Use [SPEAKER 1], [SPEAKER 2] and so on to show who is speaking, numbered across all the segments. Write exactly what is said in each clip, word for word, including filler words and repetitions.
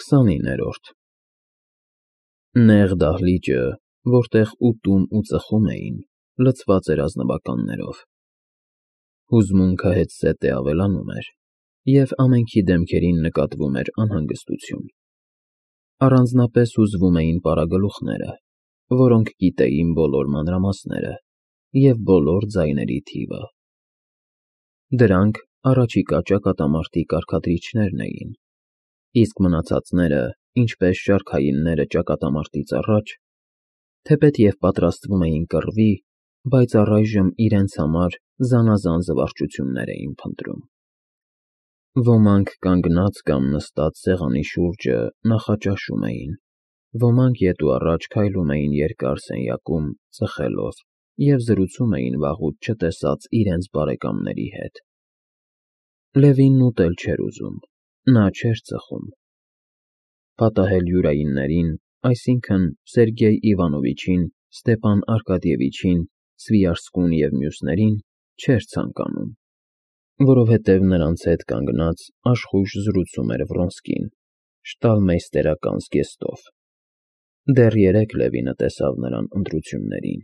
[SPEAKER 1] քսանիններորդ Նեղ դահլիճը, որտեղ ուտում ու ծխում էին, լցված էր ազնվականներով։ Հուզմունքը հետզհետե ավելանում էր, և ամենքի դեմքերին նկատվում էր անհանգստություն։ Առանձնապես հուզվում էին պարագլուխները, որոնք գիտեին բոլոր մանրամասները և բոլոր ձայների թիվը։ Դրանք առաջիկա ճակատամարտի կարգադրիչներն էին, իսկ մնացածները, ինչպես շարքայինները ճակատամարտից առաջ, թեպետ և պատրաստվում էին կռվի, բայց առայժմ իրենց համար զանազան զվարճություններ էին փնտրում։ Ոմանք կանգնած կամ նստած սեղանի շուրջը նախաճաշում էին, ոմանք ետ ու առաջ քայլում էին երկար սենյակում ծխելով և զրուցում էին վաղուց չտեսած իրենց բարեկամների հետ։ Լևինն ուտել չէր ուզում, նա չէր ծխում։ Պատահել յուրայիններին, այսինքն՝ Սերգեյ Իվանովիչին, Ստեպան Արկադիևիչին, Սվիարսկուն և մյուսներին, չէր ցանկանում, որովհետև նրանց հետ կանգնած աշխույժ զրուցում էր Վրոնսկին, շտալմեյստերական զգեստով։ Դեռ երեկ Լևինը տեսավ նրան ընտրություններին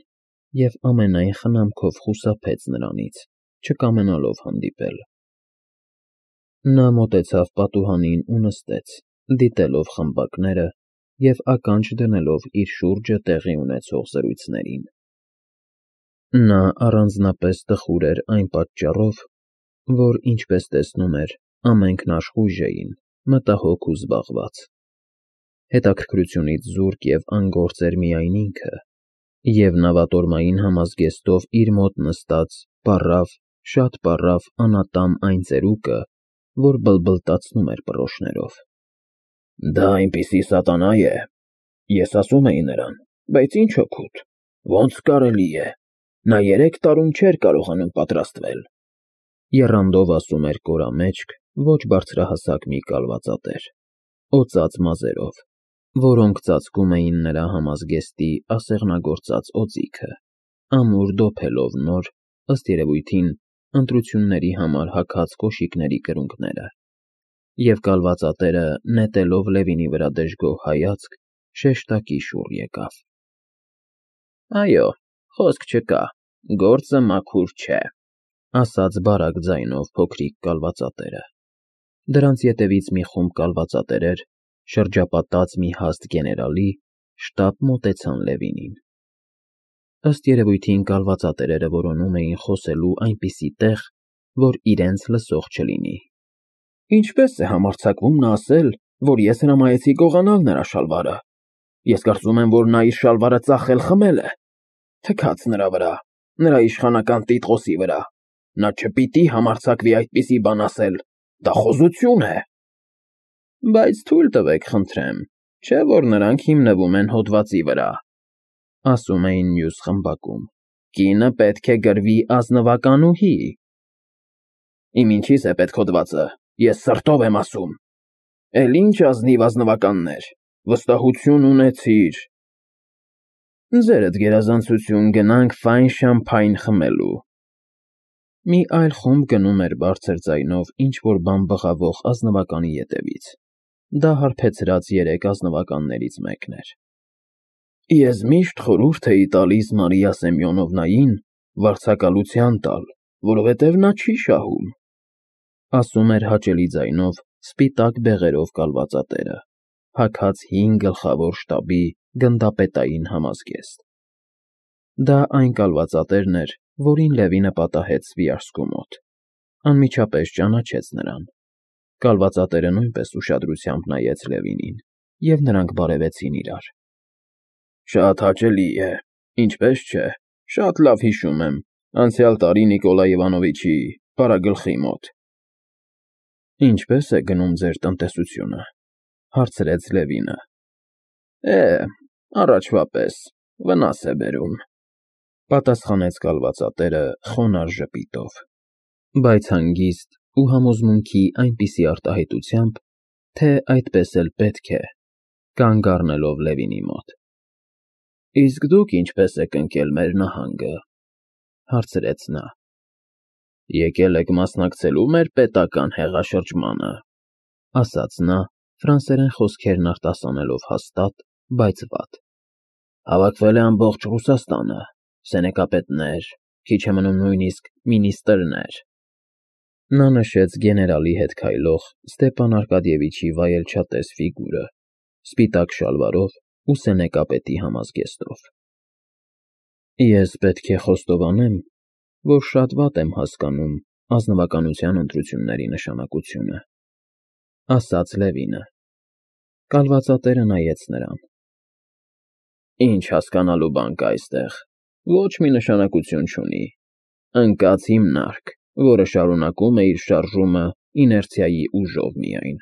[SPEAKER 1] և ամենայն խնամքով խուսափեց նրանից, չկամենալով հանդիպել։ Նա մոտեցավ պատուհանին ու նստեց, դիտելով խմբակները և ականջ դնելով իր շուրջը տեղի ունեցող զրույցներին։ Նա առանձնապես տխուր էր այն պատճառով, որ, ինչպես տեսնում էր, ամենքն աշխույժ էին, մտահոգ ու զբաղված։ Հետաքրքրությունից զուրկ և անգործ էր միայն ինքը, և նավատորմային համազգեստով իր մոտ նստած պառավ, շատ պառավ անատամ այն ծերուկը, որ բլբլտացնում էր պռոշներով։ Դա այնպիսի սատանա է, ես ասում էի նրան, բայց ինչ օգուտ, ոնց կարելի է, նա երեք տարում չէր կարողանում պատրաստվել, եռանդով ասում էր կորամեջք, ոչ բարձրահասակ մի կալվածատեր, օծած մազերով, որոնք ծածկում էին նրա համազգեստի ասեղնագործած օձիքը, ամուր դոփելով նոր, ըստ երևույթին, ընտրությունների համար հագած կոշիկների կրունկները, և կալվածատերը, նետելով Լևինի վրա դժգոհ հայացք, շեշտակի շուռ եկավ։ Այո, խոսք չկա, գործը մաքուր չէ, ասաց բարակ ձայնով փոքրիկ կալվածատերը։ Դրանց ետևից մի խումբ կալվածատերեր, շրջապատած մի հաստ գեներալի, շտապ մոտեցան Լևինին։ Ըստ երևույթին կալվածատերերը որոնում էին խոսելու այնպիսի տեղ, որ իրենց լսող չլինի։ Ինչպե՞ս է համարձակվում նա ասել, որ ես հրամայեցի գողանալ նրա շալվարը։ Ես կարծում եմ, որ նա իր շալվարը ծախել֊խմել է։ Թքած նրա վրա, նրա իշխանական տիտղոսի վրա, նա չպիտի համարձակվի այդպիսի բան ասել, դա խոզություն է։ Բայց թույլ տվեք, խնդրեմ, չէ՞ որ նրանք հիմնվում են հոդվածի վրա, ասում էին մյուս խմբակում, կինը պետք է գրվի ազնվականուհի։ Իմ ինչի՞ս է պետք հոդվածը, ես սրտով եմ ասում։ Էլ ինչ ազնիվ ազնվականներ, վստահություն ունեցիր։ Ձերդ գերազանցություն, գնանք ֆայն շամփայն խմելու։ Մի այլ խումբ գնում էր բարձր ձայնով ինչ֊որ բան բղավող ազնվականի ետևից։ Դա հարբեցրած երեք ազնվականներից մեկն էր։ Ես միշտ խորհուրդ էի տալիս Մարիա Սեմյոնովնային վարձակալության տալ, որովհետև նա չի շահում, ասում էր հաճելի ձայնով սպիտակ բեղերով կալվածատերը, հագած հին գլխավոր շտաբի գնդապետային համազգեստ։ Դա այն կալվածատերն էր, որին Լևինը պատահեց Սվիարսկու մոտ, անմիջապես ճանաչեց նրան։ Կալվածատերը նույնպես ուշադրությամբ նայեց Լևինին, և նրանք բարևեցին իրար։ Շատ հաճելի է, ինչպես չէ, շատ լավ հիշում եմ, անցյալ տարի Նիկոլայ Իվանովիչի պարագլխի մոտ։ Ինչպե՞ս է գնում ձեր տնտեսությունը, հարցրեց Լևինը։ Է, առաջվա պես, վնաս է բերում, պատասխանեց կալվածատերը խոնարհ ժպիտով, բայց հանգիստ ու համոզմունքի այնպիսի արտահայտությամբ, թե այդպես էլ պետք է, կանգ առնելով Լևինի մոտ։ Իսկ դուք ինչպե՞ս եք ընկել մեր նահանգը, հարցրեց նա։ Եկել եք մասնակցելու մեր պետական հեղաշրջմանը, ասաց նա, ֆրանսերեն խոսքերն արտասանելով հաստատ, բայց վատ։ Հավաքվել է ամբողջ Ռուսաստանը, սենեկապետներ, քիչ է մնում նույնիսկ մինիստրներ։ Նա նշեց գեներալի հետ քայլող Ստեպան Արկադիևիչի վայելչատես ֆիգուրը, սպիտակ շալվարով ու սենեկապետի համազգեստով։ Ես պետք է խոստովանեմ, որ շատ վատ եմ հասկանում ազնվականության ընտրությունների նշանակությունը, ասաց Լևինը։ Կալվածատերը նայեց նրան։ Ինչ հասկանալու բան կա այստեղ, ոչ մի նշանակություն չունի, ընկած հիմնարկ, որը շարունակում է իր շարժումը իներցիայի ուժով միայն։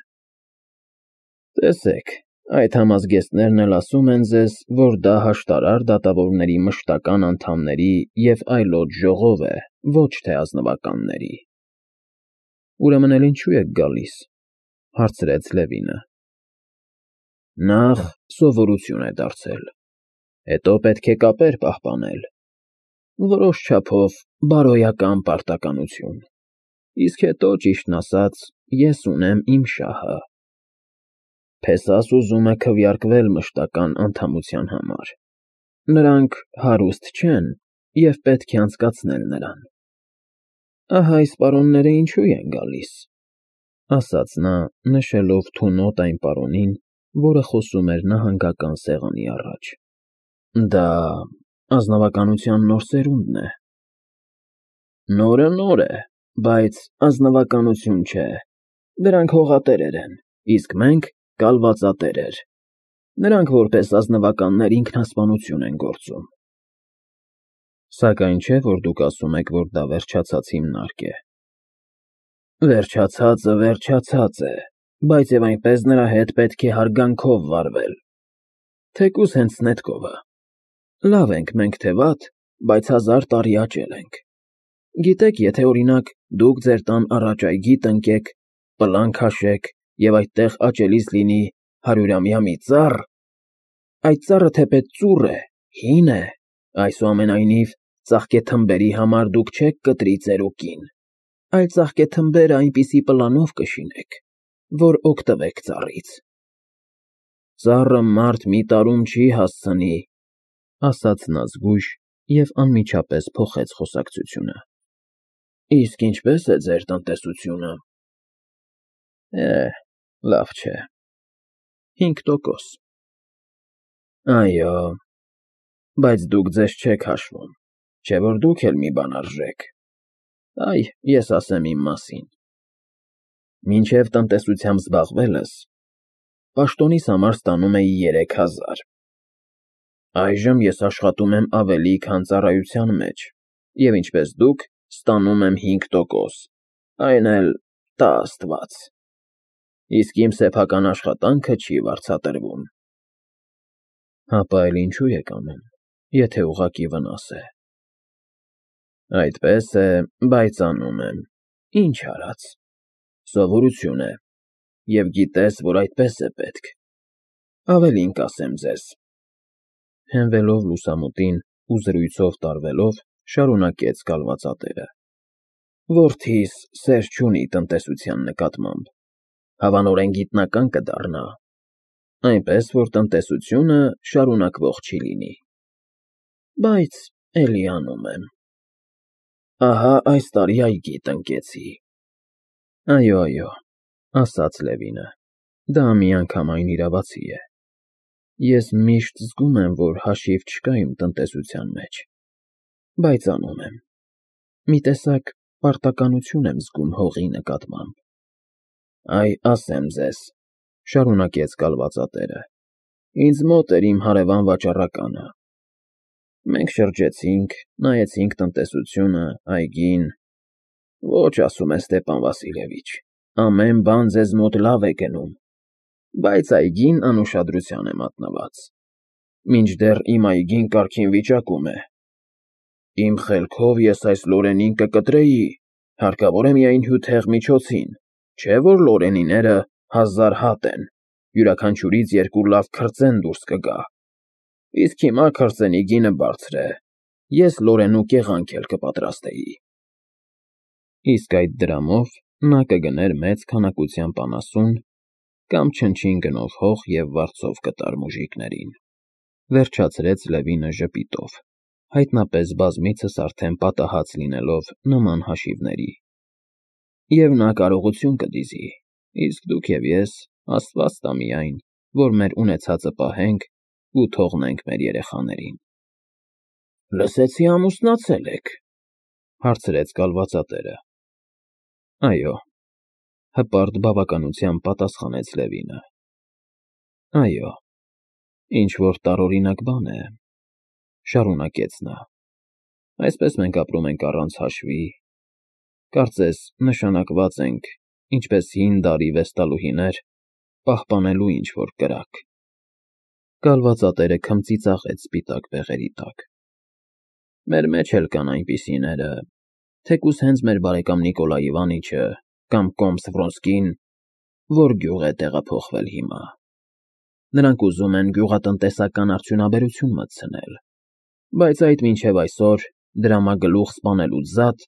[SPEAKER 1] Տեսեք, այդ համազգեստներն էլ ասում են ձեզ, որ դա հաշտարար դատավորների մշտական անդամների և այլոց ժողով է, ոչ թե ազնվականների։ Ուրեմն էլ ինչու եք գալիս, հարցրեց Լևինը։ Նախ սովորություն է դարձել, հետո պետք է կապեր պահպանել, որոշ չափով բարոյական պարտականություն, իսկ հետո, ճիշտն ասած, ես ունեմ իմ շահը։ Փեսաս ուզում է քվեարկվել մշտական անդամության համար։ Նրանք հարուստ չեն և պետք է անցկացնել նրան։ Ահա այս պարոնները ինչու են գալիս, ասաց նա, նշելով թունոտ այն պարոնին, որը խոսում էր նահանգական սեղանի առաջ։ Դա ազնվականության նոր սերունդն է։ Նորը նոր է, բայց ազնվականություն չէ, դրանք հողատերեր են, իսկ մենք կալվածատերեր, նրանք որպես ազնվականներ ինքնասպանություն են գործում։ Սակայն չէ, որ դուք ասում եք, որ դա վերջացած հիմնարկ է։ Վերջացածը վերջացած է, բայց և այնպես նրա հետ պետք է հարգանքով վարվել, թեկուզ հենց Սնետկովը։ Լավ ենք մենք թե վատ, բայց հազար տարի աճել ենք։ Գիտեք, եթե, օրինակ, դուք ձեր տան առաջ այգի տնկեք, պլան քաշեք և այդտեղ աճելիս լինի հարյուրամյա մի ծառ, այդ ծառը թեպետ ծուռ է, հին է, այսուամենայնիվ ծաղկեթմբերի համար դուք չեք կտրի ձեր ուկին, այլ ծաղկեթմբերը այնպիսի պլանով կշինեք, որ օգտվեք ծառից։ Ծառը մարդ մի տարում չի հասցնի, ասաց նա զգույշ և անմիջապես փոխեց խոսակցությունը։ Իսկ ինչպե՞ս է ձեր տնտեսությունը։ Է, լավ չէ։ Հինգ տոկոս։ Այո, բայց դուք ձեզ չեք հաշվում, չէ՞ որ դուք էլ մի բան արժեք։ Այ, ես ասեմ իմ մասին։ Մինչև տնտեսությամբ զբաղվելս, պաշտոնիս համար ստանում էի երեք հազար։ Այժմ ես աշխատում եմ ավելի, քան ծառայության մեջ, և ինչպես դուք, ստանում եմ հինգ տոկոս, այն էլ տա աստված։ Իսկ իմ սեփական աշխատանքը չի վարձատրվում։ Հապա էլ ինչու եք անում, եթե ուղղակի վնաս է։ Այդպես է, բայց անում եմ, ինչ արած։ Սովորություն է, և գիտես, որ այդպես է պետք։ Ավելին կասեմ ձեզ։ Հենվելով լուսամուտին ու զրույցով տարվելով, շարունակեց կալվածատերը։ Որդիս սեր չունի տնտեսության նկատմամբ, հավանորեն գիտնական կդառնա, այնպես որ տնտեսությունը շարունակվող չի լինի։ Բայց էլի անում եմ։ Ահա այս տարի այգի տնկեցի։ Այո, այո, ասաց Լևինը, դա միանգամայն իրավացի է։ Ես միշտ զգում եմ, որ հաշիվ չկա իմ տնտեսության մեջ, բայց անում եմ։ Մի տեսակ պարտականություն եմ զգում հողի նկատմամբ։ Այ ասեմ ձեզ, շարունակեց կալվածատերը, ինձ մոտ էր իմ հարևան վաճառականը։ Մենք շրջեցինք, նայեցինք տնտեսությունը, այգին։ Ոչ, ասում է Ստեպան Վասիլևիչ, ամեն բան ձեզ մոտ լավ է գնում, բայց այգին անուշադրության է մատնված։ Մինչդեռ իմ այգին կարգին վիճակում է։ Իմ խելքով ես այս Լորենին կկտրեի, հարկավոր է միայն հյութեղ միջոցին, չէ՞ որ Լորենիները հազար հատ են, յուրաքանչյուրից երկու լավ քրծեն դուրս կգա։ Իսկ հիմա քրծենի գինը բարձր է, ես Լորենու կեղանք էլ կպատրաստեի։ Իսկ այդ դրամով նա կգներ մեծ քանակությամբ անասուն կամ չնչին գնով հող և վարձով կտար մուժիկներին, վերջացրեց Լևինը ժպիտով, հայտնապես բազմիցս արդեն պատահած լինելով նման հաշիվների։ Եվ նա կարողություն կդիզի, իսկ դուք և ես, Աստված տա միայն, որ մեր ունեցածը պահենք ու թողնենք մեր երեխաներին։ ֊ Լսեցի ամուսնացել եք,֊ հարցրեց կալվածատերը։ ֊ Այո,֊ հպարտ բավականությամբ պատասխանեց Լևինը։ ֊ Այո, ինչ֊որ տարօրինակ բան է,֊ շարունակեց նա։ Այսպես մենք ապրում ենք առանց հաշվի, կարծես նշանակված ենք, ինչպես հին դարի վեստալուհիներ, պահպանելու ինչ֊որ կրակ… Կալվածատերը քմծիծաղեց սպիտակ բեղերի տակ։ ֊ Մեր մեջ էլ կան այնպիսիները, թեկուզ հենց մեր բարեկամ Նիկոլայ Իվանիչը կամ կոմս Վրոնսկին, որ գյուղ է տեղափոխվել հիմա… Նրանք ուզում են գյուղատնտեսական արդյունաբերություն մտցնել, բայց այդ մինչև այսօր դրամագլուխ սպանելուց զատ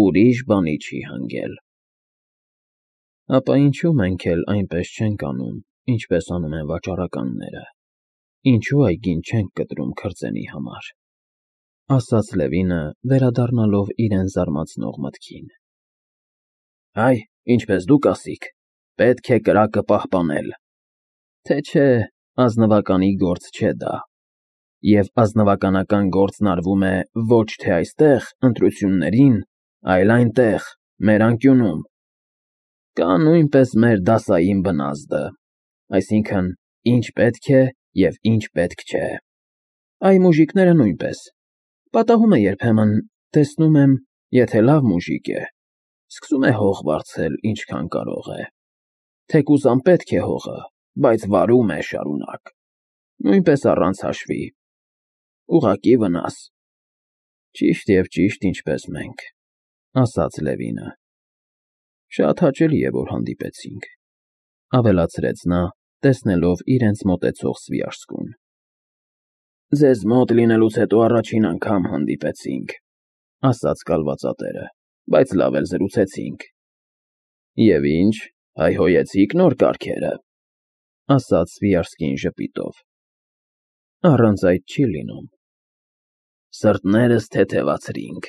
[SPEAKER 1] ուրիշ բանի չի հանգել։ ֊ Ապա ինչո՞ւ մենք էլ այնպես չենք անում, ինչպես անում են վաճառականները, ինչո՞ւ այգին չենք կտրում քրծենի համար,֊ ասաց Լևինը, վերադառնալով իրեն զարմացնող մտքին։ ֊ Այ, ինչպես դուք ասիք, պետք է կրակը պահպանել, թե չէ ազնվականի գործ չէ դա, և ազնվականական գործն արվում է ոչ թե այստեղ ընտրություններին, այլ այնտեղ, մեր անկյունում, կա նույնպես մեր դասային բնազդը, այսինքն՝ ինչ պետք է և ինչ պետք չէ, այ մուժիկները նույնպես, պատահում է երբեմն, տեսնում եմ, եթե լավ մուժիկ է, սկսում է հող վարձել ինչքան կարող է, թեկուզ անպետք է հողը, բայց վարում է շարունակ, նույնպես առանց հաշվի, ուղղակի վնաս։ ֊ Ճիշտ և ճիշտ ինչպես մենք,֊ ասաց Լևինը։ ֊ Շատ հաճելի է, որ հանդիպեցինք,֊ ավելացրեց նա, տեսնելով իրենց մոտեցող Սվիաշսկուն։ ֊ Ձեզ մոտ լինելուց հետո առաջին անգամ հանդիպեցինք,֊ ասաց կալվածատերը,֊ բայց լավ էլ զրուցեցինք։ ֊ Եվ ինչ, հայհոյեցի՞ք նոր կառքերը,֊ ասաց Սվիաշսկին ժպիտով։ ֊ Առանց այդ չի լինում։ ֊ Սրտներս թեթևացրինք,